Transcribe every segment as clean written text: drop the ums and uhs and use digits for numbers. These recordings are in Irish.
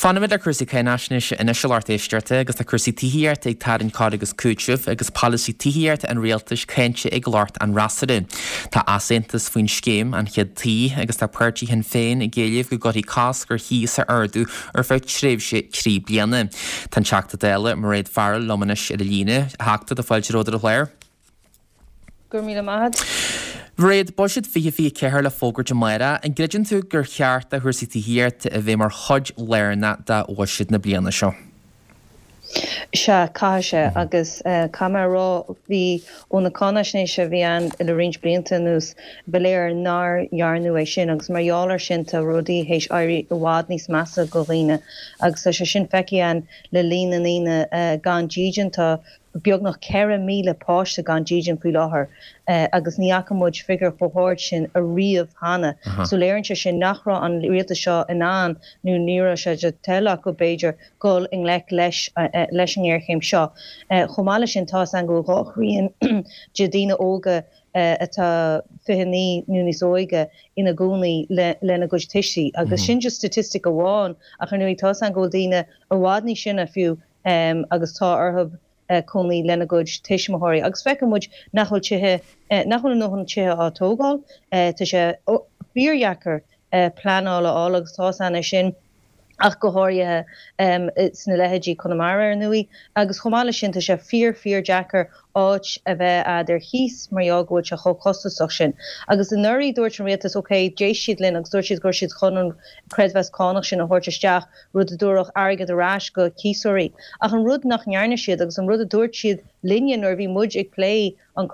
Fanfaimid le cúrsaí cáinaisnéise anois a lucht éisteachta agus tá cúrsaí tithíochta ag tarraingt cur agus cúiteamh agus polasaí tithíochta an rialtais cáinte ag lucht an fhreasúra. Tá easaontas faoin scéim, An Chéad Tí, agus tá páirtí Shinn Féin ag éileamh go gcuirfí cosc ar chíos a ardú ar feadh tréimhse 3 bliana. Tá an Teachta Dála, Mairéad Farrell liom anois ar an líne. A Theachta, tá fáilte romhat ar an chlár. Go raibh míle maith agat. Mhairéad, Buiséad 2024 le fógairt amárach. An gcreideann tú gur cheart do chúrsaí tithíochta a bheith mar chuid lárnach de bhuiséad na bliana seo? Sea, caithfidh sé. Agus caithfidh mé a rá, bhí, ó na cáinaisnéise a bhí ann le roinnt blianta anuas, ba léir nár dhearnadh é sin agus mar gheall air sin tá rudaí théis éirí i bhfad níos measa go dhaoine agus tá sé sin feicthe againn le líon na ndaoine gan dídean. Tá beagnach 4,000 páiste gan dídean faoi láthair agus ní fhaca muid figiúr chomh hard sin ariamh cheana. So léiríonn sé sin nach raibh an rialtas seo in ann, nó ní raibh sé de thoil acu b'fhéidir, dul i ngleic leis leis an ngéarchéim seo. Chomh maith leis sin, tá 'fhios a'inn go bhfuil dhá thrian de daoine óga atá 29 nó níos óige ina gcónaí lena gcuid tuistí agus sin just statistic amháin ach ar ndóigh tá 'fhios a'inn go bhfuil daoine i bhfad níos sine fiú agus tá orthu cónaí lena gcuid tuismitheoirí. Agus feiceann muid nach bhfuil tithe, nach bhfuil a ndóthain tithe á tógáil. Tá sé fíordheacair pleanáil a fháil agus tá 'fhios a'inn é sin ach go háirithe sna leithéidí Conamara ar ndóigh. Agus chomh maith leis sin tá sé fíor fíor deacair áit a bheith a'd ar chíos mar gheall go bhfuil sé chomh costasach sin. Agus anuraidh dúirt an rialtas ok d'éist siad linn agus dúirt siad go raibh siad chun an creidmheas cánach sin a thabhairt isteach rud a dtabharfadh airgead ar ais go cíosóirí. Ach an rud nach ndearna siad, agus an rud a dúirt siad linne nuair a bhí muid ag plé an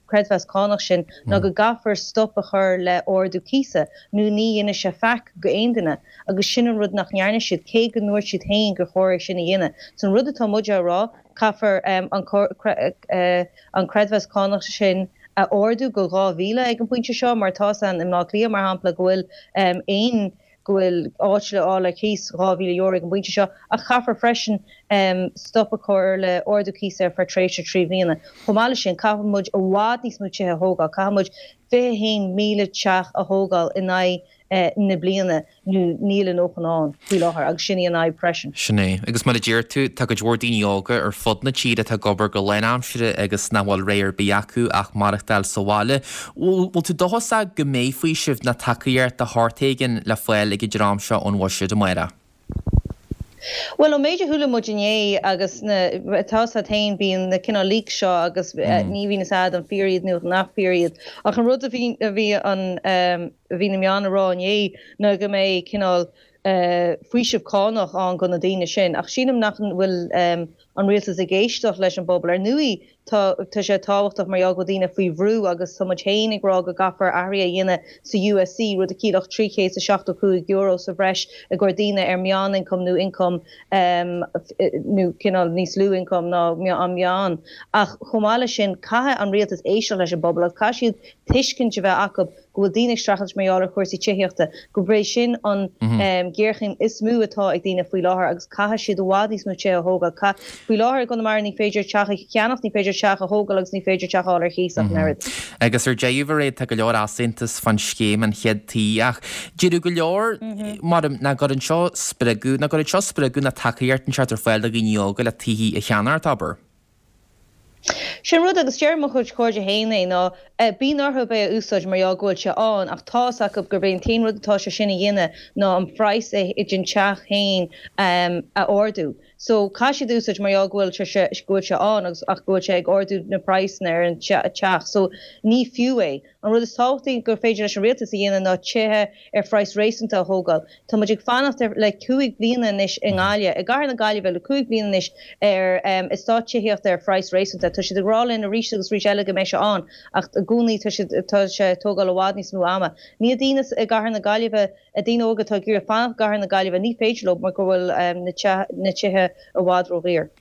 creidmheas cánach sin, ná go gcaithfear stop a chur le ardú cíosa, nó ní dhéanfaidh sé faic go aon duine. Agus sin an rud nach ndearna siad, cé go ndúirt siad féin gur chóir é sin a dhéanamh. So an rud atá muid á rá, caithfear an creidmheas cánach sin a ardú go 2,000 ag an bpointe seo, mar tá 'fhios a'inn i mBleá Cliath, mar shampla, go bhfuil aon go bhfuil áit le fháil ar cíos €2,000 ag an bpointe seo, ach caithfear freisin stop a chur le ardú cíosa ar feadh tréimhse 3 bhliana. Chomh maith leis sin, caithfidh muid i bhfad níos mó tithe a thógáil, caithfidh muid 21,000 teach a thógáil in aghaidh na bliana nó níl a ndóthain ann faoi láthair agus sin í an fhadhb freisin. Sin é. Agus mar a deir tú, tá cuid mhór daoine óga ar fud na tíre atá ag obair go lánaimseartha agus nach bhfuil rogha ar bith acu ach maireachtáil sa bhaile. Bhfuil tú dóchasach go mbeidh faoiseamh ná tacaíocht de shórt éigin le fáil ag an dream seo ón bhuiséad amárach? Bhuel, ón méid a chuala muid inné agus na, tá 'fhios a'd féin, bíonn na cineál leaks seo agus ní bhíonn 'fhios a'd an fíor iad nó nach fíor iad. Ach an rud a bhí, a bhí an, a bhí na meáin a rá inné ná go mbeidh cineál faoiseamh cánach ann go na daoine sin. Ach sílim nach bhfuil an rialtas ag éisteacht leis an bpobal. Ar ndóigh, Tá tá sé tábhachtach mar gheall go bhfuil daoine faoi bhrú agus tá muid féin ag rá go gcaithfear athruithe a dhéanamh sa USC, rud a chiallódh €375 sa bhreis i gcomhair daoine ar meán-ioncam nó ioncam nó cineál níos lú ioncam ná an meán. Ach chomh maith leis sin, caithfidh an rialtas éisteacht leis an bpobal agus caithfidh siad tuiscint a bheith acu go bhfuil daoine ag streachailt mar gheall ar chúrsaí tithíochta, gurb é sin an ghéarchéim is mó atá ag daoine faoi láthair agus caithfidh siad i bhfad níos mó tithe a thógáil. Faoi láthair i gConamara ní féidir teach a cheannacht, ní féidir teach a thógáil agus ní féidir teach a fháil ar chíos ach an oiread. Agus ar deireadh, a Mhairéad, tá go leor easaontas fán scéim An Chéad Tí ach déarfadh go leor, maram, nach gcuireann seo spreagadh, nach gcuireann seo spreagadh ná tacaíocht inteacht ar fáil do dhaoine óga le tithí a cheannacht, abair. Sin rud, agus deir mo chuid cairde féin é, ná bíonn orthu é a úsáid mar gheall go bhfuil sé ann, ach tá 'fhios acu gurb é an t-aon rud atá sé sin a dhéanamh ná an praghas den teach féin a ardú. So, caithfidh siad é úsáid mar gheall go bhfuil sé, go bhfuil sé ann agus ach go bhfuil sé ag ardú na praghsanna ar an teach. So, ní fiú é. An rud is tábhachtaí gur féidir leis an rialtas a dhéanamh ná tithe ar phraghas réasúnta a thógáil. Tá muid ag fanacht ar le 5 bliana anois i nGaillimh, i gcathair na Gaillimhe le 5 bliana anois ar eastát tithíochta ar phraghas réasúnta. Tá siad ag rá linn arís agus arís eile go mbeidh sé ann ach i gcónaí tá siad tá sé ag tógáil i bhfad níos mó ama. Níl daoine i gcathair na Gaillimhe, daoine óga atá ag iarraidh fanacht i gcathair na Gaillimhe, ní féidir leo mar go bhfuil na tithe i bhfad ródhaor.